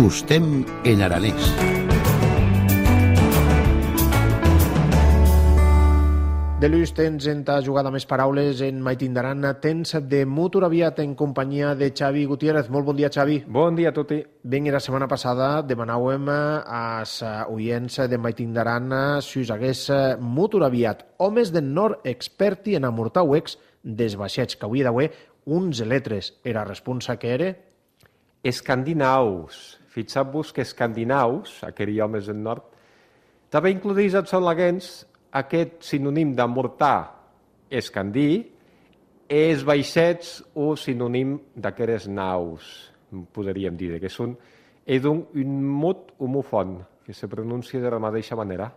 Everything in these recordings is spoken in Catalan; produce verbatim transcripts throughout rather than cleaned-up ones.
Tostem en aranès. De l'ús tens en ta jugada més paraules en Maitindaran, tens de Mutur Aviat en companyia de Xavi Gutiérrez. Molt bon dia, Xavi. Bon dia a tutti. Ben, la setmana passada demanàvem als oients de Maitindaran si us hagués Mutur Aviat, homes del nord experti en amortar uecs des vaixets, que avui d'avui uns letres. Era responsa que era? Escandinaus. Fixeu-vos que escandinaus, aquells homes del nord, també includís els solaguens aquest sinònim d'amortar escandí és vaixets o sinònim d'aquestes naus, podríem dir, que són un, un mot homofon, que se pronuncia de la mateixa manera.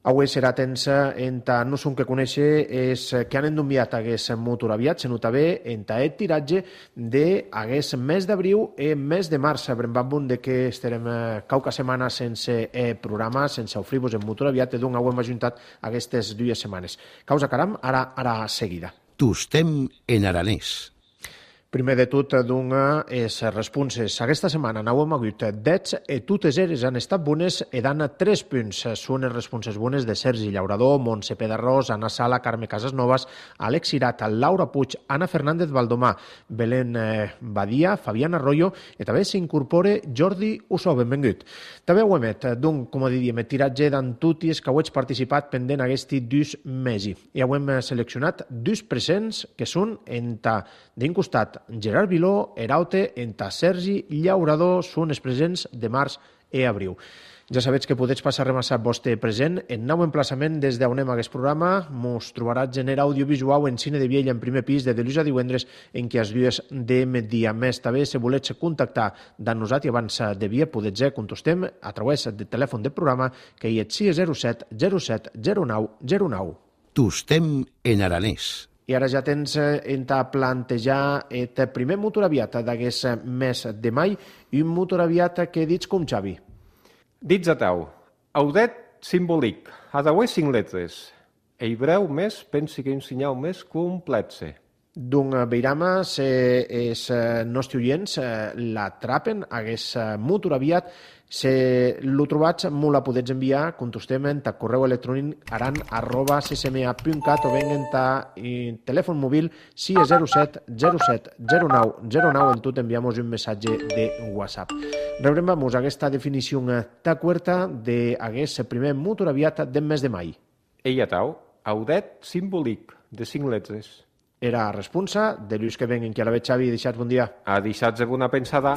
Avui serà tensa en ta no som que conèixer és que han enviat hagués Mutur Aviat, se nota bé en ta et tiratge de hagués mes d'abril i mes de març. Brembambun de que estarem cauca setmana sense eh, programa, sense ofrir-vos en Mutur Aviat, i d'un hem ajuntat aquestes dues setmanes. Causa caram, ara, ara seguida. Tostem en aranès. Primer de tot, donga és responses. Aquesta setmana n'hauem hagut deu i totes elles han estat bones i dan tres punts. Són les responses bones de Sergi Llaurador, Montse Pedarrós, Anna Sala, Carme Casasnovas, Àlex Cirat, Laura Puig, Anna Fernández Valdomà, Belén Badia, Fabián Arroyo i també s'incorpora Jordi Ussó. Benvingut. També ho emet, d'un, com diríem, tiratge d'antutis que ho heig participat pendent aquesti dus mesi. I ho hem seleccionat dos presents que són en ta d'un costat Gerard Viló, Eraute, enta Sergi Llaurador, són els presents de març i abril. Ja sabeu que podeu passar a remassar vostre present en nou emplaçament des d'on anem a aquest programa. Mos trobarà gener audiovisual en Cine de Viella en primer pis de dilluns a divendres en què els dies de migdia. Més també, si voleu contactar de nosaltres abans de via, podeu contestem a través del telèfon del programa que hi és sis zero set zero set zero nou zero nou. Tostem en aranès. I ara ja tens en ta plantejar el primer Mutur Aviat d'aquest mes de mai i un Mutur Aviat que dits com Xavi. Dits a tau, audet simbòlic, ha d'haver cinc lletres. E breu més, pensi que un senyal més completse. D'un veirama, se els nostres oients l'atrapen, hagués Mutur Aviat, se lo trobats, m'ho la podets enviar, contestem en ta correu electrònic aran arroba ccma punt cat o ben en ta telèfon mòbil sis zero set zero set zero nou zero nou, en tot enviamos un missatge de WhatsApp. Rebrem vamos aquesta definició ta cuerta de hagués primer Mutur Aviat del mes de mai. Ella tau, audet simbòlic, de cinc lletres. Era responsa de l'ús que venguin, que a la vez Xavi, deixats bon dia. A deixats alguna pensada.